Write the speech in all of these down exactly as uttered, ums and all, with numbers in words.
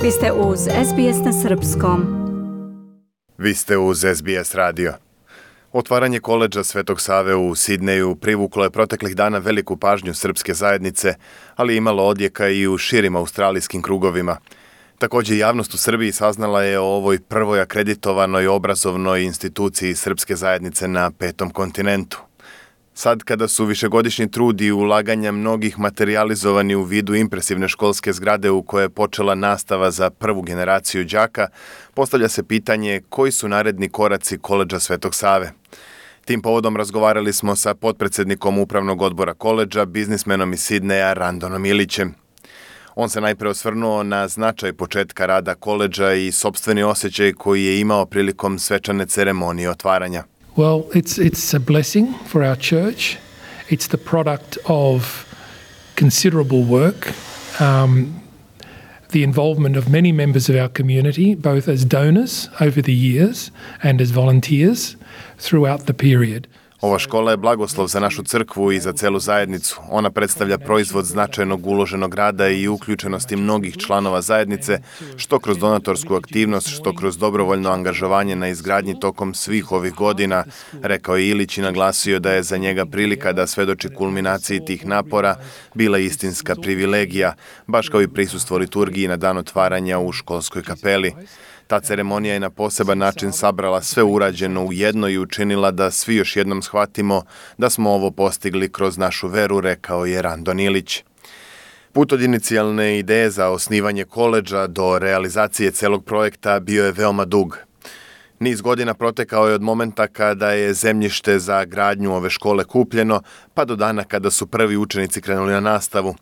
Vi ste uz S B S na srpskom. Vi ste uz S B S radio. Otvaranje koledža Svetog Save u Sidneju privuklo je proteklih dana veliku pažnju srpske zajednice, ali imalo odjeka i u širim australijskim krugovima. Također, javnost u Srbiji saznala je o ovoj prvoj akreditovanoj obrazovnoj instituciji srpske zajednice na petom kontinentu. Sad, kada su višegodišnji trud i ulaganja mnogih materijalizovani u vidu impresivne školske zgrade u kojoj je počela nastava za prvu generaciju đaka, postavlja se pitanje koji su naredni koraci koledža Svetog Save. Tim povodom razgovarali smo sa potpredsjednikom upravnog odbora koledža, biznismenom iz Sidneja, Randonom Ilićem. On se najprije osvrnuo na značaj početka rada koledža i sopstveni osjećaj koji je imao prilikom svečane ceremonije otvaranja. Well, it's it's a blessing for our church. It's the product of considerable work, um, the involvement of many members of our community, both as donors over the years and as volunteers throughout the period. Ova škola je blagoslov za našu crkvu i za celu zajednicu. Ona predstavlja proizvod značajnog uloženog rada i uključenosti mnogih članova zajednice, što kroz donatorsku aktivnost, što kroz dobrovoljno angažovanje na izgradnji tokom svih ovih godina, rekao je Ilić i naglasio da je za njega prilika da svedoči kulminaciji tih napora bila istinska privilegija, baš kao i prisustvo liturgiji na dan otvaranja u školskoj kapeli. Ta ceremonija je na poseban način sabrala sve urađeno u jedno i učinila da svi još jednom shvatimo da smo ovo postigli kroz našu veru, rekao je Randon Ilić. Put od inicijalne ideje za osnivanje koledža do realizacije celog projekta bio je veoma dug. Niz godina protekao je od momenta kada je zemljište za gradnju ove škole kupljeno, pa do dana kada su prvi učenici krenuli na nastavu.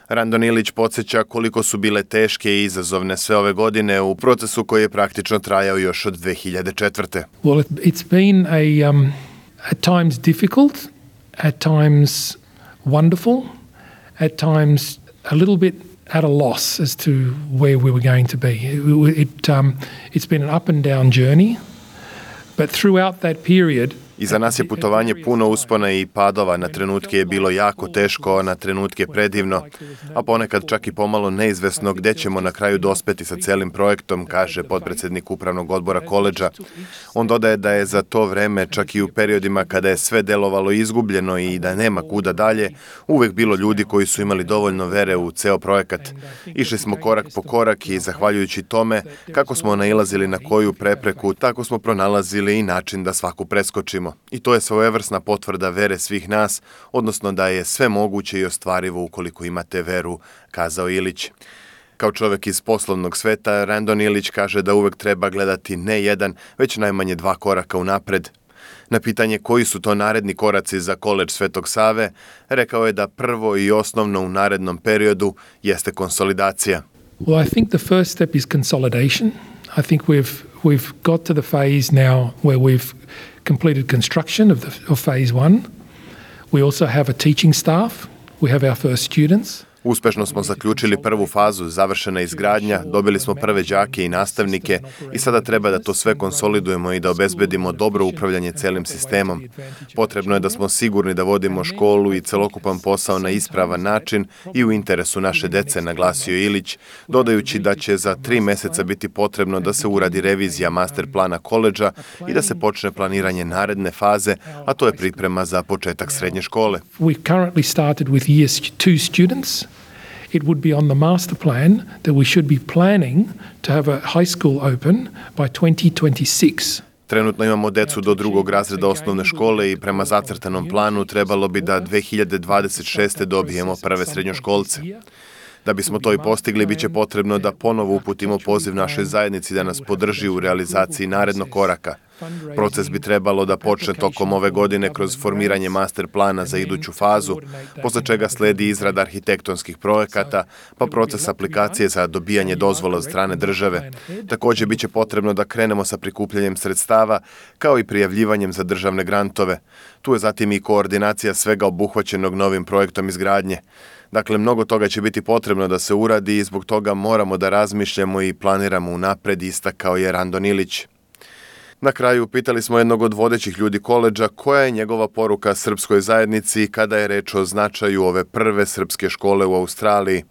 Randon Ilić podsjeća koliko su bile teške i izazovne sve ove godine u procesu koji je praktično trajao još od dve hiljade četvrte. Well, it's been a um, at times difficult, at times wonderful, at times a little bit at a loss as to where we were going to be. It, it um, it's been an up and down journey, but throughout that period Iza nas je putovanje puno uspona i padova, na trenutke je bilo jako teško, na trenutke predivno, a ponekad čak i pomalo neizvesno gdje ćemo na kraju dospeti sa celim projektom, kaže potpredsjednik upravnog odbora koledža. On dodaje da je za to vreme, čak i u periodima kada je sve delovalo izgubljeno i da nema kuda dalje, uvek bilo ljudi koji su imali dovoljno vere u ceo projekat. Išli smo korak po korak i zahvaljujući tome, kako smo nailazili na koju prepreku, tako smo pronalazili i način da svaku preskočimo. I to je svojevrsna potvrda vere svih nas, odnosno da je sve moguće i ostvarivo ukoliko imate veru, kazao Ilić. Kao čovjek iz poslovnog sveta, Randon Ilić kaže da uvek treba gledati ne jedan, već najmanje dva koraka unapred. Na pitanje koji su to naredni koraci za koledž Svetog Save, rekao je da prvo i osnovno u narednom periodu jeste konsolidacija. Well, I think the first step is consolidation. I think we've we've got to the phase now where we've completed construction of, the, of phase one. We also have a teaching staff. We have our first students. Uspešno smo zaključili prvu fazu, završena izgradnja, dobili smo prve đake i nastavnike i sada treba da to sve konsolidujemo i da obezbedimo dobro upravljanje celim sistemom. Potrebno je da smo sigurni da vodimo školu i celokupan posao na ispravan način i u interesu naše dece, naglasio Ilić, dodajući da će za tri meseca biti potrebno da se uradi revizija master plana koledža i da se počne planiranje naredne faze, a to je priprema za početak srednje škole. We currently started with year two students. It would be on the master plan that we should be planning to have a high school open by twenty twenty-six. Trenutno imamo decu do drugog razreda osnovne škole i prema zacrtanom planu trebalo bi da dve hiljade dvadeset šeste dobijemo prve srednjoškolce. Da bismo to i postigli, bit će potrebno da ponovo uputimo poziv našoj zajednici da nas podrži u realizaciji narednog koraka. Proces bi trebalo da počne tokom ove godine kroz formiranje master plana za iduću fazu, posle čega sledi izrada arhitektonskih projekata, pa proces aplikacije za dobijanje dozvola od strane države. Također bit će potrebno da krenemo sa prikupljanjem sredstava, kao i prijavljivanjem za državne grantove. Tu je zatim i koordinacija svega obuhvaćenog novim projektom izgradnje. Dakle, mnogo toga će biti potrebno da se uradi i zbog toga moramo da razmišljamo i planiramo unapred, istakao je Randon Ilić. Na kraju pitali smo jednog od vodećih ljudi koledža koja je njegova poruka srpskoj zajednici kada je reč o značaju ove prve srpske škole u Australiji.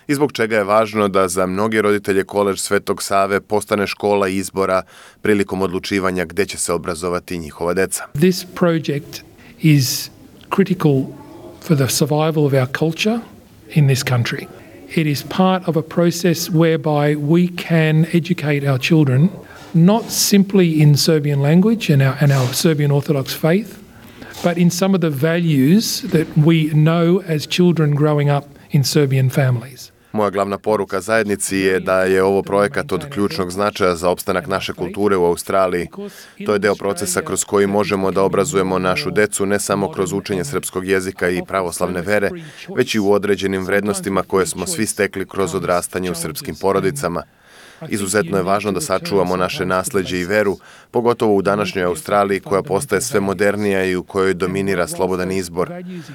i zbog čega je važno da za mnoge roditelje Koledž Svetog Save postane škola izbora prilikom odlučivanja gde će se obrazovati njihova deca. This project is critical for the survival of our culture in this country. It is part of a process whereby we can educate our children not simply in Serbian language and our, and our Serbian Orthodox faith, but in some of the values that we know as children growing up in Serbian families. Moja glavna poruka zajednici je da je ovo projekat od ključnog značaja za opstanak naše kulture u Australiji. To je deo procesa kroz koji možemo da obrazujemo našu decu ne samo kroz učenje srpskog jezika i pravoslavne vere, već i u određenim vrednostima koje smo svi stekli kroz odrastanje u srpskim porodicama. Izuzetno je važno da sačuvamo naše nasleđe i veru, pogotovo u današnjoj Australiji koja postaje sve modernija i u kojoj dominira slobodan izbor,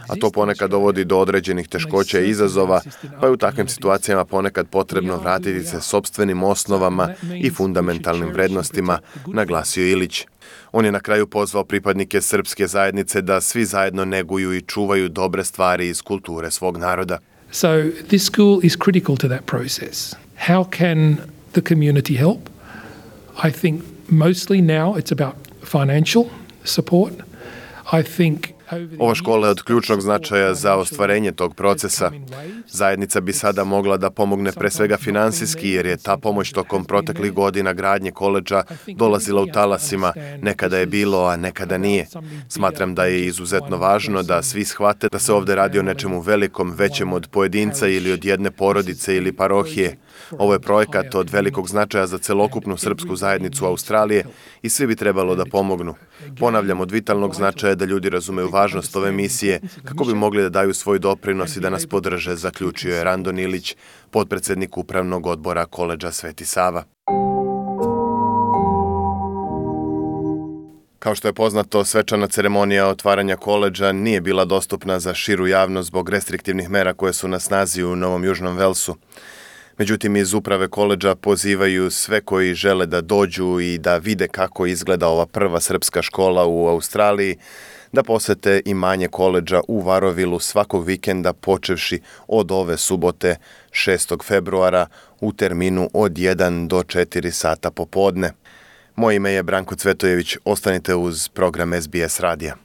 a to ponekad dovodi do određenih teškoća i izazova, pa je u takvim situacijama ponekad potrebno vratiti se sopstvenim osnovama i fundamentalnim vrednostima, naglasio Ilić. On je na kraju pozvao pripadnike srpske zajednice da svi zajedno neguju i čuvaju dobre stvari iz kulture svog naroda. So this school is critical to that process. How can the community help? I think mostly now it's about financial support. I think Ova škola je od ključnog značaja za ostvarenje tog procesa. Zajednica bi sada mogla da pomogne pre svega finansijski, jer je ta pomoć tokom proteklih godina gradnje koledža dolazila u talasima, nekada je bilo, a nekada nije. Smatram da je izuzetno važno da svi shvate da se ovde radi o nečemu velikom, većem od pojedinca ili od jedne porodice ili parohije. Ovo je projekat od velikog značaja za celokupnu srpsku zajednicu Australije i svi bi trebalo da pomognu. Ponavljam, od vitalnog značaja da ljudi razumeju važnost ove misije kako bi mogli da daju svoj doprinos i da nas podrže, zaključio je Randon Ilić, potpredsednik upravnog odbora Koledža Sveti Sava. Kao što je poznato, svečana ceremonija otvaranja koledža nije bila dostupna za širu javnost zbog restriktivnih mera koje su na snazi u Novom Južnom Velsu. Međutim, iz uprave koledža pozivaju sve koji žele da dođu i da vide kako izgleda ova prva srpska škola u Australiji, da posete imanje koledža u Varovilu svakog vikenda počevši od ove subote šestog februara u terminu od jedan do četiri sata popodne. Moje ime je Branko Cvetojević, ostanite uz program S B S radija.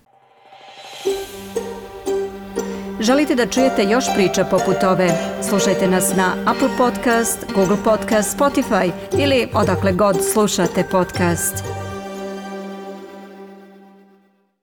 Želite da čujete još priča poput ove? Slušajte nas na Apple Podcast, Google Podcast, Spotify ili odakle god slušate podcast.